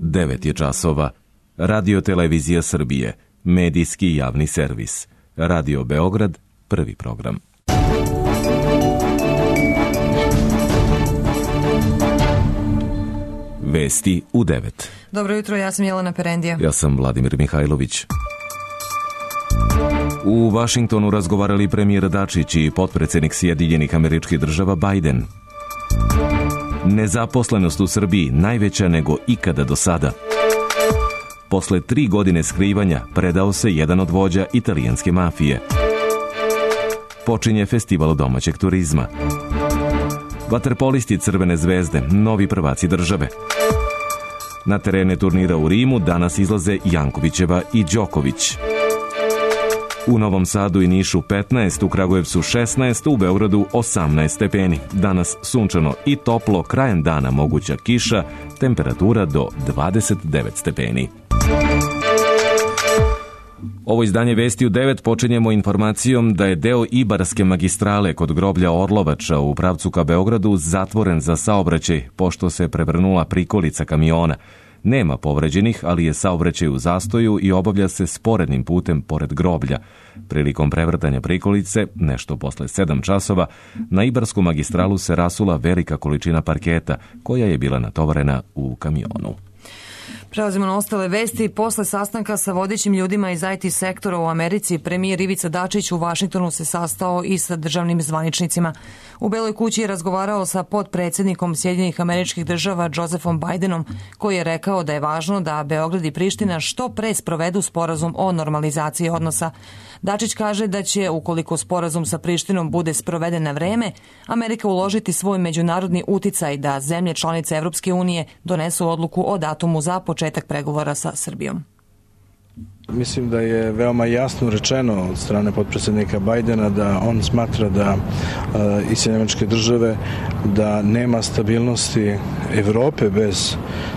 9 je časova. Radio Televizija Srbije, medijski javni servis. Radio Beograd, prvi program. Vesti u 9. Dobro jutro, ja sam Jelena Perendija. Ja sam Vladimir Mihajlović. U Vašingtonu razgovarali premijer Dačić i potpredsednik Sjedinjenih Američkih Država Biden. Nezaposlenost u Srbiji najveća nego ikada do sada. Posle 3 godine skrivanja predao se jedan od vođa italijanske mafije. Počinje festival domaćeg turizma. Vaterpolisti Crvene zvezde, novi prvaci države. Na terene turnira u Rimu danas izlaze Jankovićeva i Đoković. U Novom Sadu i Nišu 15, u Kragujevcu 16, u Beogradu 18 stepeni. Danas sunčano i toplo, krajem dana moguća kiša, temperatura do 29 stepeni. Ovo izdanje Vesti u 9 počinjemo informacijom da je deo Ibarske magistrale kod groblja Orlovača u pravcu ka Beogradu zatvoren za saobraćaj, pošto se prevrnula prikolica kamiona. Nema povređenih, ali je saobraćaj u zastoju i obavlja se sporednim putem pored groblja. Prilikom prevrtanja prikolice, nešto posle 7 časova, na Ibarsku magistralu se rasula velika količina parketa, koja je bila natovarena u kamionu. Prelazimo na ostale vesti. Posle sastanka sa vodećim ljudima iz IT sektora u Americi, premijer Ivica Dačić u Vašingtonu se sastao i sa državnim zvaničnicima. U Beloj kući je razgovarao sa potpredsednikom Sjedinjenih Američkih Država Josephom Bidenom, koji je rekao da je važno da Beograd i Priština što pre sprovedu sporazum o normalizaciji odnosa. Dačić kaže da će, ukoliko sporazum sa Prištinom bude sproveden na vreme, Amerika uložiti svoj međunarodni uticaj da zemlje članice Evropske unije donesu odluku o datumu za početak pregovora sa Srbijom. Mislim da je veoma jasno rečeno od strane potpredsednika Bajdena da on smatra da i Sjedinjene Američke Države da nema stabilnosti Evrope bez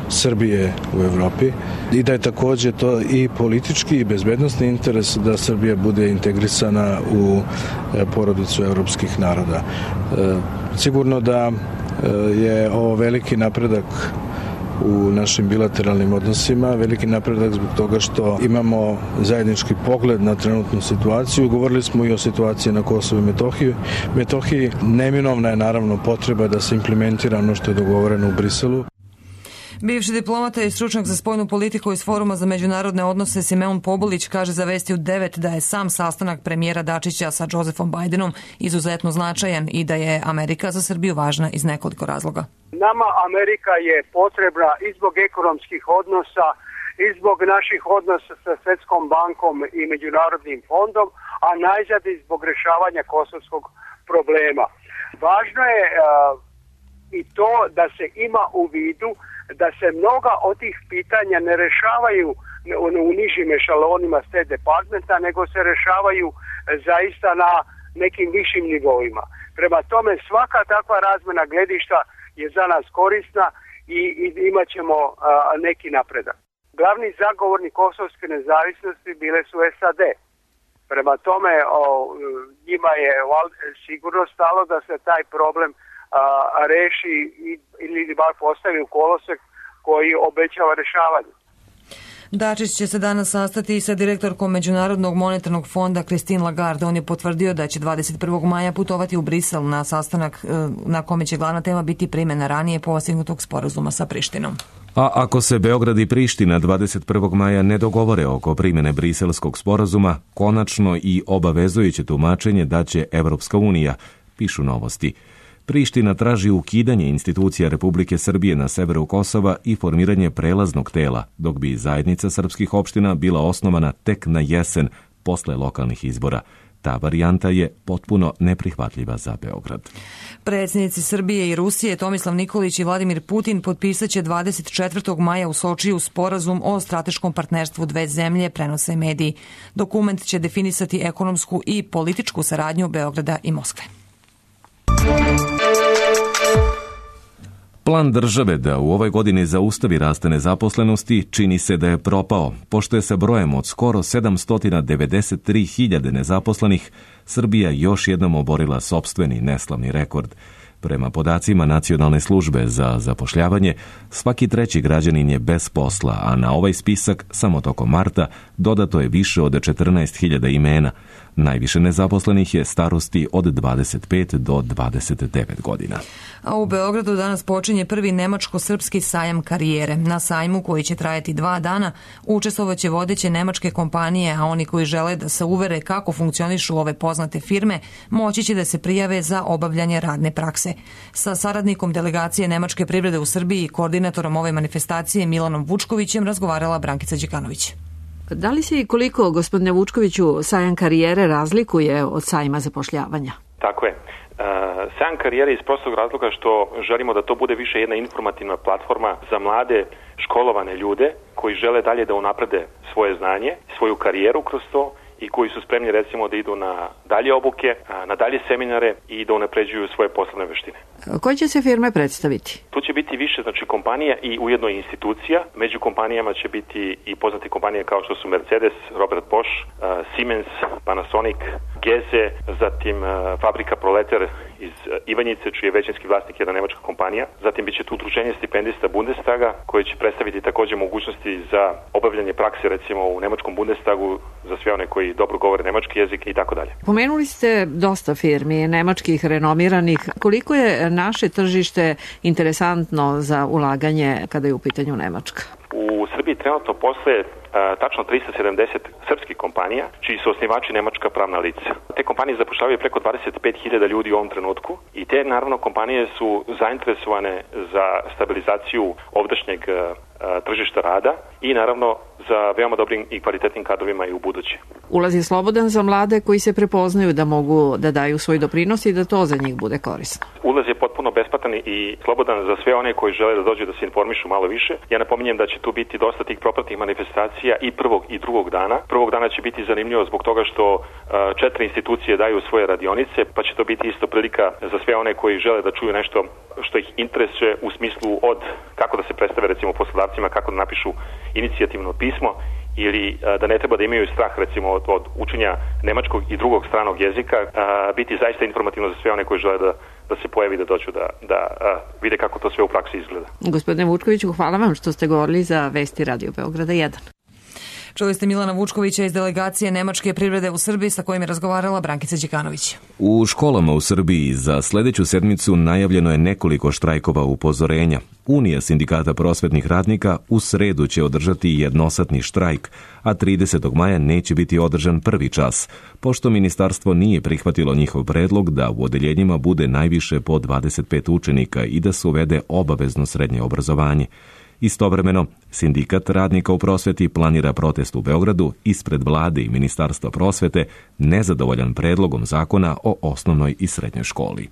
Srbije u Evropi i da je takođe to i politički i bezbednosni interes da Srbija bude integrisana u porodicu evropskih naroda. Sigurno da je ovo veliki napredak u našim bilateralnim odnosima, veliki napredak zbog toga što imamo zajednički pogled na trenutnu situaciju. Govorili smo i o situaciji na Kosovu i Metohiji. Neminovna je naravno potreba da se implementira ono što je dogovoreno u Briselu. Bivši diplomata i stručnjak za spoljnu politiku iz Foruma za međunarodne odnose Simeon Pobulić kaže za Vesti u 9 da je sam sastanak premijera Dačića sa Josephom Bidenom izuzetno značajan i da je Amerika za Srbiju važna iz nekoliko razloga. Nama Amerika je potrebna i zbog ekonomskih odnosa, i zbog naših odnosa sa Svetskom bankom i Međunarodnim fondom, a najzad i zbog rešavanja kosovskog problema. Važno je i to da se ima u vidu da se mnoga od tih pitanja ne rešavaju u nižim ešalonima State Departmenta, nego se rešavaju zaista na nekim višim nivoima. Prema tome, svaka takva razmena gledišta je za nas korisna i imat ćemo neki napredak. Glavni zagovornik kosovske nezavisnosti bile su SAD. Prema tome, njima je sigurno stalo da se taj problem reši ili bar postavi u kolosek koji obećava rešavanje. Dačić će se danas sastati i sa direktorkom Međunarodnog monetarnog fonda Christine Lagarde. On je potvrdio da će 21. maja putovati u Brisel na sastanak na kome će glavna tema biti primjena ranije postignutog sporazuma sa Prištinom. A ako se Beograd i Priština 21. maja ne dogovore oko primjene briselskog sporazuma, konačno i obavezujuće tumačenje daće Evropska unija, pišu Novosti. Priština traži ukidanje institucija Republike Srbije na severu Kosova i formiranje prelaznog tela, dok bi zajednica srpskih opština bila osnovana tek na jesen posle lokalnih izbora. Ta varijanta je potpuno neprihvatljiva za Beograd. Predsjednici Srbije i Rusije Tomislav Nikolić i Vladimir Putin potpisaće 24. maja u Sočiju sporazum o strateškom partnerstvu dve zemlje, prenose mediji. Dokument će definisati ekonomsku i političku saradnju Beograda i Moskve. Plan države da u ovoj godini zaustavi rast nezaposlenosti čini se da je propao, pošto je sa brojem od skoro 793.000 nezaposlenih Srbija još jednom oborila sopstveni neslavni rekord. Prema podacima Nacionalne službe za zapošljavanje, svaki treći građanin je bez posla, a na ovaj spisak samo tokom marta dodato je više od 14.000 imena. Najviše nezaposlenih je starosti od 25 do 29 godina. A u Beogradu danas počinje prvi nemačko-srpski sajam karijere. Na sajmu, koji će trajati 2 dana, učestvovaće vodeće nemačke kompanije, a oni koji žele da se uvere kako funkcionišu ove poznate firme, moći će da se prijave za obavljanje radne prakse. Sa saradnikom delegacije Nemačke privrede u Srbiji i koordinatorom ove manifestacije Milanom Vučkovićem razgovarala Brankica Đekanović. Da li se i koliko, gospodine Vučkoviću, sajam karijere razlikuje od sajma zapošljavanja? Tako je. Sajam karijere iz prostog razloga što želimo da to bude više jedna informativna platforma za mlade školovane ljude koji žele dalje da unaprede svoje znanje, svoju karijeru kroz to i koji su spremni recimo da idu na dalje obuke, na dalje seminare i da unapređuju svoje poslovne veštine. Koje će se firme predstaviti? Tu će biti više kompanija i ujedno institucija. Među kompanijama će biti i poznate kompanije kao što su Mercedes, Robert Bosch, Siemens, Panasonic, Geze, zatim fabrika Proletar iz Ivanjice, čiji je većinski vlasnik jedna nemačka kompanija. Zatim biće tu udruženje stipendista Bundestaga koje će predstaviti također mogućnosti za obavljanje prakse recimo u nemačkom Bundestagu za sve one koji dobro govore nemački jezik i tako dalje. Pomenuli ste dosta firmi nemačkih renomiranih. Koliko je naše tržište interesantno za ulaganje kada je u pitanju Nemačka? U Srbiji trenutno postoje tačno 370 srpskih kompanija, čiji su osnivači nemačka pravna lica. Te kompanije zapošljavaju preko 25.000 ljudi u ovom trenutku i te naravno kompanije su zainteresovane za stabilizaciju ovdašnjeg tržišta rada i naravno za veoma dobrim i kvalitetnim kadrovima i u buduće. Ulaz je slobodan za mlade koji se prepoznaju da mogu da daju svoj doprinos i da to za njih bude korisno. Ulaz je potpuno besplatan i slobodan za sve one koji žele da dođu da se informišu malo više. Ja napominjem da će tu biti dosta tih propratnih manifestacija i prvog i drugog dana. Prvog dana će biti zanimljivo zbog toga što 4 institucije daju svoje radionice, pa će to biti isto prilika za sve one koji žele da čuju nešto što ih interesuje u smislu od kako da se predstave recimo poslodavcima, kako da napišu inicijativno pismo ili da ne treba da imaju strah recimo od učenja nemačkog i drugog stranog jezika, biti zaista informativno za sve one koji žele da se pojavi, da dođu da vide kako to sve u praksi izgleda. Gospodine Vučkoviću, hvala vam što ste govorili za Vesti Radio Beograda 1. Čuli ste Milana Vučkovića iz delegacije Nemačke privrede u Srbiji sa kojim je razgovarala Brankica Đekanović. U školama u Srbiji za sledeću sedmicu najavljeno je nekoliko štrajkova upozorenja. Unija sindikata prosvetnih radnika u sredu će održati jednosatni štrajk, a 30. maja neće biti održan prvi čas, pošto ministarstvo nije prihvatilo njihov predlog da u odeljenjima bude najviše po 25 učenika i da se uvede obavezno srednje obrazovanje. Istovremeno, sindikat radnika u prosveti planira protest u Beogradu ispred vlade i Ministarstva prosvete nezadovoljan predlogom zakona o osnovnoj i srednjoj školi.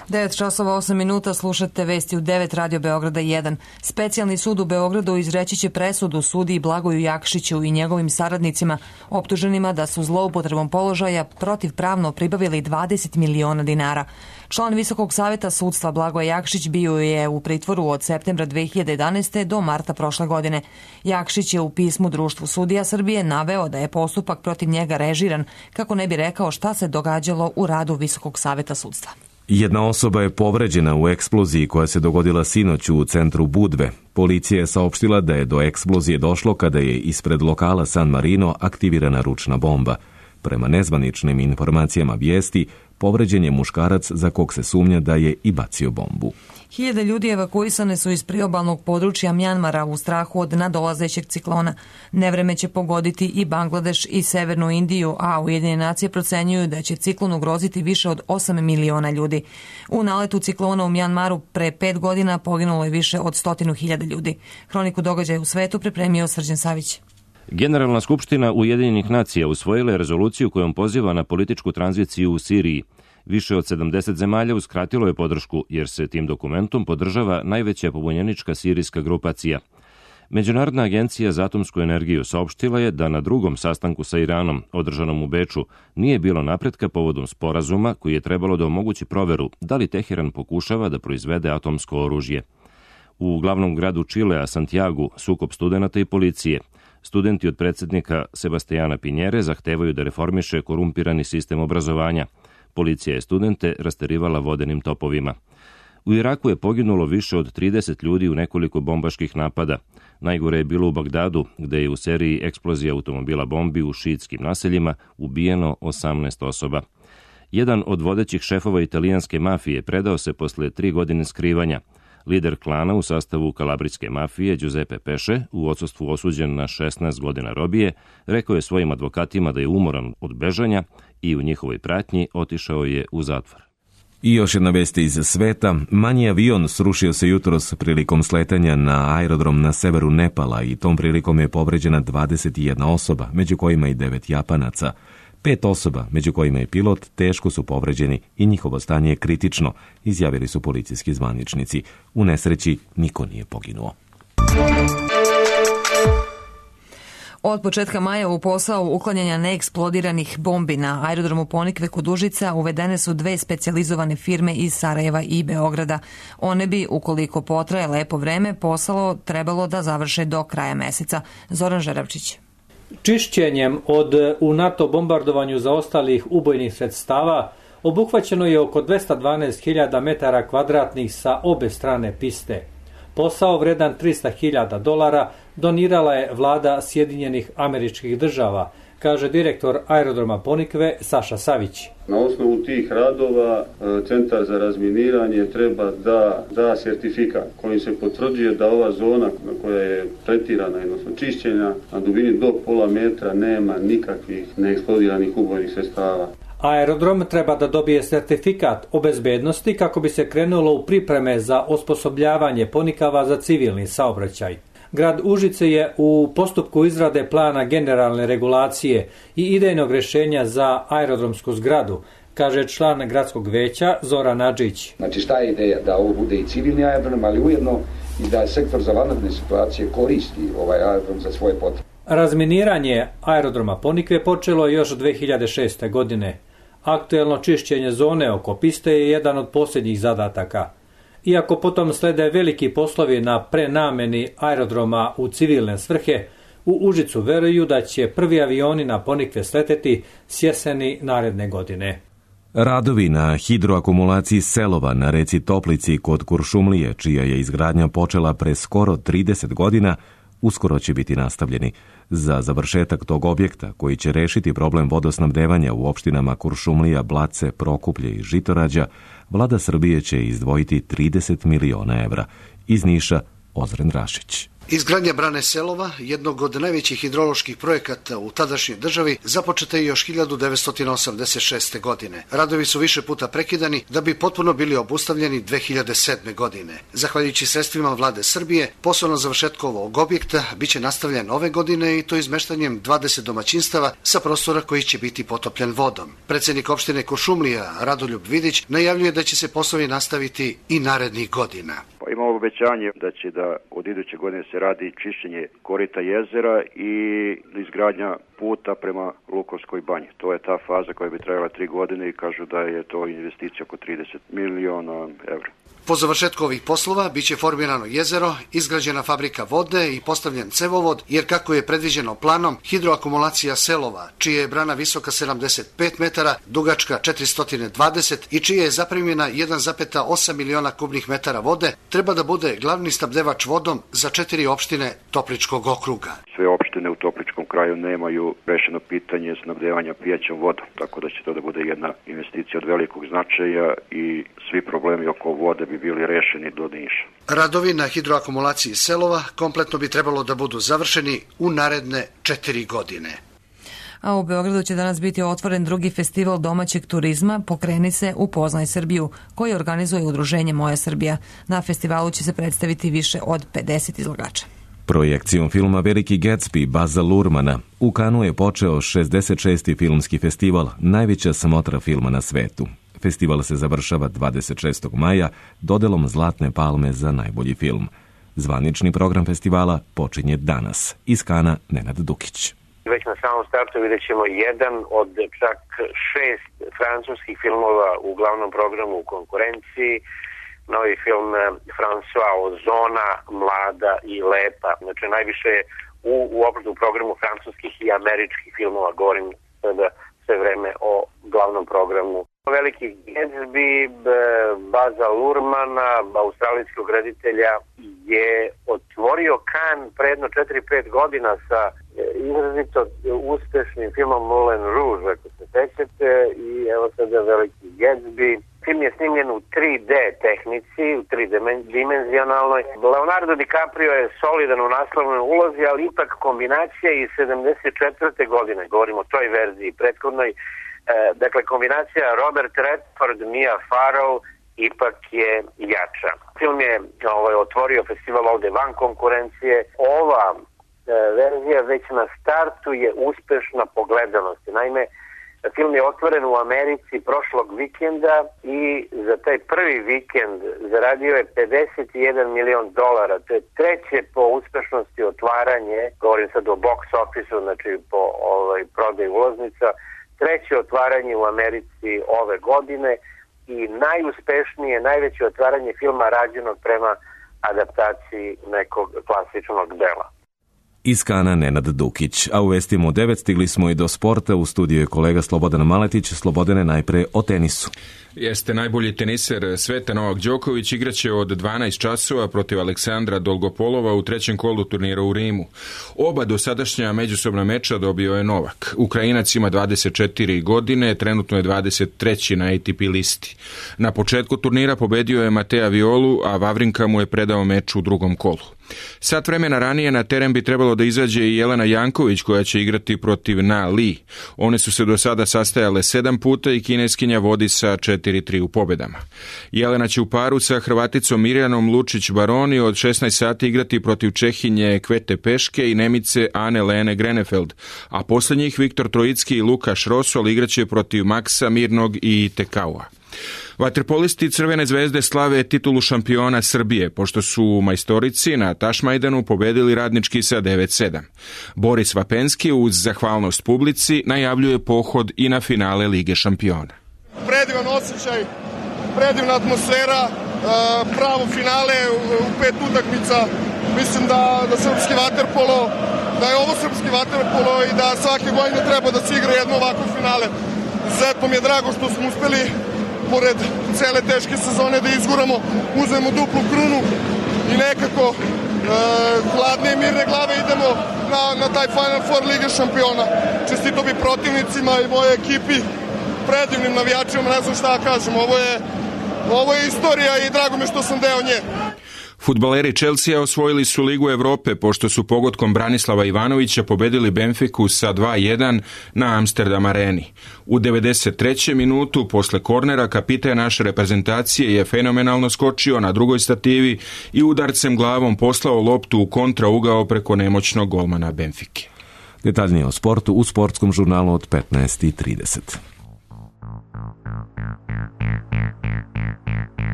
9:08 slušate Vesti u 9 Radio Beograda 1. Specijalni sud u Beogradu izreći će presudu sudiji Blagoju Jakšiću i njegovim saradnicima optuženima da su zloupotrebom položaja protivpravno pribavili 20 miliona dinara. Član Visokog saveta sudstva Blagoje Jakšić bio je u pritvoru od septembra 2011. do marta prošle godine. Jakšić je u pismu Društvu sudija Srbije naveo da je postupak protiv njega režiran kako ne bi rekao šta se događalo u radu Visokog saveta sudstva. Jedna osoba je povređena u eksploziji koja se dogodila sinoć u centru Budve. Policija je saopštila da je do eksplozije došlo kada je ispred lokala San Marino aktivirana ručna bomba. Prema nezvaničnim informacijama vijesti, povređen je muškarac za kog se sumnja da je i bacio bombu. Hiljade ljudi evakuisane su iz priobalnog područja Mjanmara u strahu od nadolazećeg ciklona. Nevreme će pogoditi i Bangladeš i Severnu Indiju, a Ujedinjene nacije procenjuju da će ciklon ugroziti više od 8 miliona ljudi. U naletu ciklona u Mjanmaru pre 5 godina poginulo je više od 100.000 ljudi. Hroniku događaja u svetu pripremio Srđan Savić. Generalna skupština Ujedinjenih nacija usvojila je rezoluciju kojom poziva na političku tranziciju u Siriji. Više od 70 zemalja uskratilo je podršku, jer se tim dokumentom podržava najveća pobunjenička sirijska grupacija. Međunarodna agencija za atomsku energiju saopštila je da na drugom sastanku sa Iranom, održanom u Beču, nije bilo napretka povodom sporazuma koji je trebalo da omogući proveru da li Teheran pokušava da proizvede atomsko oružje. U glavnom gradu Čilea, Santiagu, sukob studenata i policije. Studenti od predsjednika Sebastijana Pinjere zahtevaju da reformiše korumpirani sistem obrazovanja. Policija je studente rasterivala vodenim topovima. U Iraku je poginulo više od 30 ljudi u nekoliko bombaških napada. Najgore je bilo u Bagdadu, gde je u seriji eksplozija automobila bombi u šiitskim naseljima ubijeno 18 osoba. Jedan od vodećih šefova italijanske mafije predao se posle 3 godine skrivanja. Lider klana u sastavu kalabrijske mafije, Giuseppe Pesce, u odsustvu osuđen na 16 godina robije, rekao je svojim advokatima da je umoran od bežanja i u njihovoj pratnji otišao je u zatvor. I još jedna vest iz sveta. Manji avion srušio se jutros prilikom sletanja na aerodrom na severu Nepala i tom prilikom je povređena 21 osoba, među kojima i 9 Japanaca. 5 osoba, među kojima je pilot, teško su povređeni i njihovo stanje je kritično, izjavili su policijski zvaničnici. U nesreći niko nije poginuo. Od početka maja u posao uklanjanja neeksplodiranih bombi na aerodromu Ponikve kod Užica uvedene su 2 specijalizovane firme iz Sarajeva i Beograda. One bi, ukoliko potraje lepo vreme, posao trebalo da završe do kraja meseca. Zoran Žeravčić. Čišćenjem od u NATO bombardovanju zaostalih ubojnih sredstava obuhvaćeno je oko 212.000 metara kvadratnih sa obe strane piste. Posao vredan $300.000 donirala je vlada Sjedinjenih Američkih Država, kaže direktor aerodroma Ponikve Saša Savić. Na osnovu tih radova Centar za razminiranje treba da da sertifikat kojim se potvrđuje da ova zona koja je tretirana, odnosno čišćenja, na dubini do pola metra nema nikakvih neeksplodiranih ubojnih sredstava. Aerodrom treba da dobije sertifikat o bezbednosti kako bi se krenulo u pripreme za osposobljavanje Ponikava za civilni saobraćaj. Grad Užice je u postupku izrade plana generalne regulacije i idejnog rješenja za aerodromsku zgradu, kaže član gradskog veća Zoran Nadžić. Znači šta je ideja? Da ovo bude i civilni aerodrom, ali ujedno i da sektor za vanredne situacije koristi ovaj aerodrom za svoje potrebe. Razminiranje aerodroma Ponikve počelo još 2006. godine. Aktuelno čišćenje zone oko piste je jedan od posljednjih zadataka. Iako potom slede veliki poslovi na prenameni aerodroma u civilne svrhe, u Užicu veruju da će prvi avioni na Ponikve sleteti s jeseni naredne godine. Radovi na hidroakumulaciji Selova na reci Toplici kod Kuršumlije, čija je izgradnja počela pre skoro 30 godina, uskoro će biti nastavljeni. Za završetak tog objekta, koji će rešiti problem vodosnabdevanja u opštinama Kuršumlija, Blace, Prokuplje i Žitorađa, vlada Srbije će izdvojiti 30 miliona evra. Iz Niša, Ozren Rašić. Izgradnja brane Selova, jednog od najvećih hidroloških projekata u tadašnjoj državi, započeta je još 1986. godine. Radovi su više puta prekidani da bi potpuno bili obustavljeni 2007. godine. Zahvaljujući sredstvima vlade Srbije, poslovno završetko ovog objekta biće nastavljen ove godine i to izmeštanjem 20 domaćinstava sa prostora koji će biti potopljen vodom. Predsjednik opštine Kuršumlija, Radoljub Vidić, najavljuje da će se poslovi nastaviti i narednih godina. Imamo obećanje da će da od iduće godine se radi čišćenje korita jezera i izgradnja puta prema Lukovskoj banji. To je ta faza koja bi trajala 3 godine i kažu da je to investicija oko 30 miliona evra. Po završetku ovih poslova biće formirano jezero, izgrađena fabrika vode i postavljen cevovod, jer kako je predviđeno planom, hidroakumulacija Selova, čija je brana visoka 75 metara, dugačka 420 i čija je zapremljena 1,8 miliona kubnih metara vode, treba da bude glavni snabdevač vodom za 4 opštine Topličkog okruga. Sve opštine u Topličkom kraju nemaju rešeno pitanje snabdevanja pijaćom vodom, tako da će to da bude jedna investicija od velikog značaja i svi problemi oko vode bi bili rešeni do Niša. Radovi na hidroakumulaciji Selova kompletno bi trebalo da budu završeni u naredne 4 godine. A u Beogradu će danas biti otvoren drugi festival domaćeg turizma Pokreni se, upoznaj Srbiju, koji organizuje udruženje Moja Srbija. Na festivalu će se predstaviti više od 50 izlagača. Projekcijom filma Veliki Gatsby Baza Lurmana u Kanu je počeo 66. filmski festival, najveća smotra filma na svetu. Festival se završava 26. maja dodelom Zlatne palme za najbolji film. Zvanični program festivala počinje danas. Iz Kana, Nenad Dukić. Već na samom startu vidjet ćemo jedan od čak 6 francuskih filmova u glavnom programu u konkurenciji. Novi film François Ozona, Mlada i lepa. Znači najviše u opštem programu francuskih i američkih filmova, govorim sada sve vreme o glavnom programu. Velikih Gatsby, Baza Lurmana, australijskog reditelja, je otvorio Cannes pre jedno 4-5 godina sa izrazito uspešnim filmom Moulin Rouge, ako se sećate, i evo sada Veliki Gatsby. Film je snimljen u 3D tehnici, u 3D-dimenzionalnoj. Leonardo DiCaprio je solidan u naslovnoj ulozi, ali ipak kombinacija iz 74. godine, govorimo o toj verziji, prethodnoj. Dakle, kombinacija Robert Redford, Mia Farrow ipak je jača. Film je otvorio festival ovde van konkurencije. Ova verzija već na startu je uspešna po gledanosti. Naime, film je otvoren u Americi prošlog vikenda i za taj prvi vikend zaradio je $51 milion. To je treće po uspešnosti otvaranje, govorim sad o box office-u, znači po prodaju ulaznica, treće otvaranje u Americi ove godine i najuspešnije, najveće otvaranje filma rađenog prema adaptaciji nekog klasičnog dela. Iz Kana Nenad Dukić, a u vestima u 9 stigli smo i do sporta. U studiju je kolega Slobodan Maletić. Slobodane, najpre o tenisu. Jeste, najbolji teniser sveta Novak Đoković igraće od 12 časova protiv Aleksandra Dolgopolova u trećem kolu turnira u Rimu. Oba dosadašnja međusobna meča dobio je Novak. Ukrajinac ima 24 godine, trenutno je 23. na ATP listi. Na početku turnira pobedio je Matea Violu, a Vavrinka mu je predao meč u drugom kolu. Sat vremena ranije na teren bi trebalo da izađe i Jelena Janković, koja će igrati protiv Na Li. One su se do sada sastajale 7 puta i kineskinja vodi sa 4-3 u pobedama. Jelena će u paru sa Hrvaticom Mirjanom Lučić-Baroni od 16 sati igrati protiv Čehinje Kvete Peške i Nemice Ane Lene Grenefeld, a posle njih Viktor Trojicki i Lukaš Rosol igraće protiv Maksa Mirnog i Tekaua. Vaterpolisti Crvene zvezde slave titulu šampiona Srbije, pošto su majstorici na Tašmajdanu pobedili Radnički sa 9-7. Boris Vapenski uz zahvalnost publici najavljuje pohod i na finale Lige šampiona. Predivan osjećaj, predivna atmosfera, pravo finale u 5 utakmica. Mislim da srpski vaterpolo, da je ovo srpski vaterpolo i da svake godine treba da se igra jedno ovako finale. Izuzetno mi je drago što smo uspeli pored cele teške sezone da izguramo, uzmemo duplu krunu i nekako hladne i mirne glave idemo na taj Final Four Lige šampiona. Čestito bi protivnicima i moje ekipi, predivnim navijačima, ne znam šta kažem, ovo je istorija i drago mi što sam deo nje. Fudbaleri Chelsea osvojili su Ligu Evrope pošto su pogodkom Branislava Ivanovića pobedili Benfiku sa 2-1 na Amsterdam areni. U 93. minutu posle kornera kapitan naše reprezentacije je fenomenalno skočio na drugoj stativi i udarcem glavom poslao loptu u kontraugao preko nemoćnog golmana Benfike. Detaljnije o sportu u sportskom žurnalu od 15:30.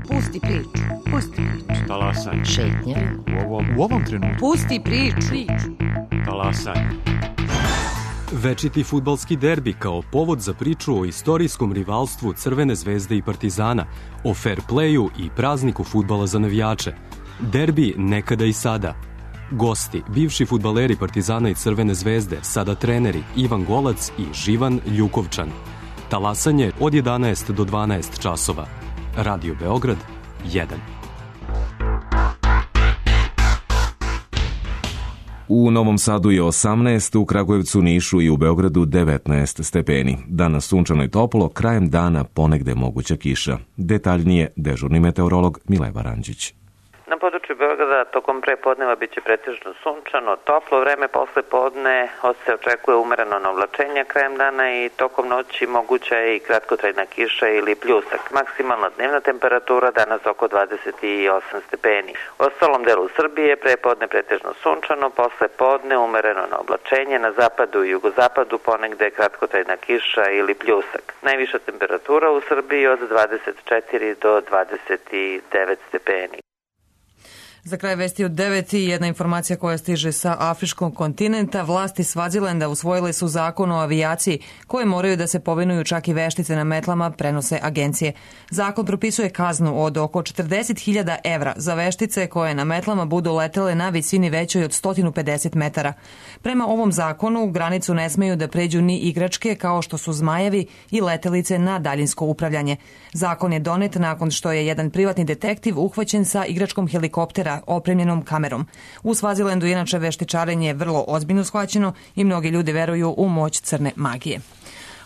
Pusti priču. Talasaj. Šetnja. U ovom trenutku. Pusti priču. Talasaj. Večiti fudbalski derbi kao povod za priču o istorijskom rivalstvu Crvene zvezde i Partizana, o fair playu i prazniku fudbala za navijače. Derbi nekada i sada. Gosti, bivši fudbaleri Partizana i Crvene zvezde, sada treneri Ivan Golac i Živan Ljukovčan. Talasanje od 11 do 12 časova. Radio Beograd 1. U Novom Sadu je 18, u Kragujevcu, Nišu i u Beogradu 19 stepeni. Danas sunčano i toplo, krajem dana ponegde moguća kiša. Detaljnije dežurni meteorolog Mileva Ranđić. Na području Beograda tokom prepodneva biće pretežno sunčano, toplo vreme, posle podne se očekuje umereno navlačenje krajem dana i tokom noći moguća je i kratkotrajna kiša ili pljusak. Maksimalna dnevna temperatura danas oko 28 stepeni. U ostalom delu Srbije prepodne pretežno sunčano, posle podne umereno navlačenje, na zapadu i jugozapadu ponegde kratkotrajna kiša ili pljusak. Najviša temperatura u Srbiji od 24 do 29 stepeni. Za kraj vesti od 9 i jedna informacija koja stiže sa afričkog kontinenta. Vlasti Svazilenda usvojile su zakon o avijaciji koje moraju da se povinuju čak i veštice na metlama, prenose agencije. Zakon propisuje kaznu od oko 40.000 evra za veštice koje na metlama budu letele na visini većoj od 150 metara. Prema ovom zakonu granicu ne smeju da pređu ni igračke kao što su zmajevi i letelice na daljinsko upravljanje. Zakon je donet nakon što je jedan privatni detektiv uhvaćen sa igračkom helikoptera opremljenom kamerom. U Svazilendu inače veštičarenje je vrlo ozbiljno shvaćeno i mnogi ljudi veruju u moć crne magije.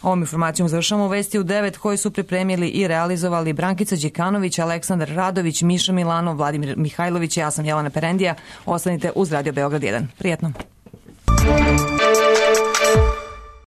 Ovom informacijom završamo vesti u 9 koje su pripremili i realizovali Brankica Đikanović, Aleksandar Radović, Miša Milanov, Vladimir Mihajlović, ja sam Jelena Perendija. Ostanite uz Radio Beograd 1. Prijetno.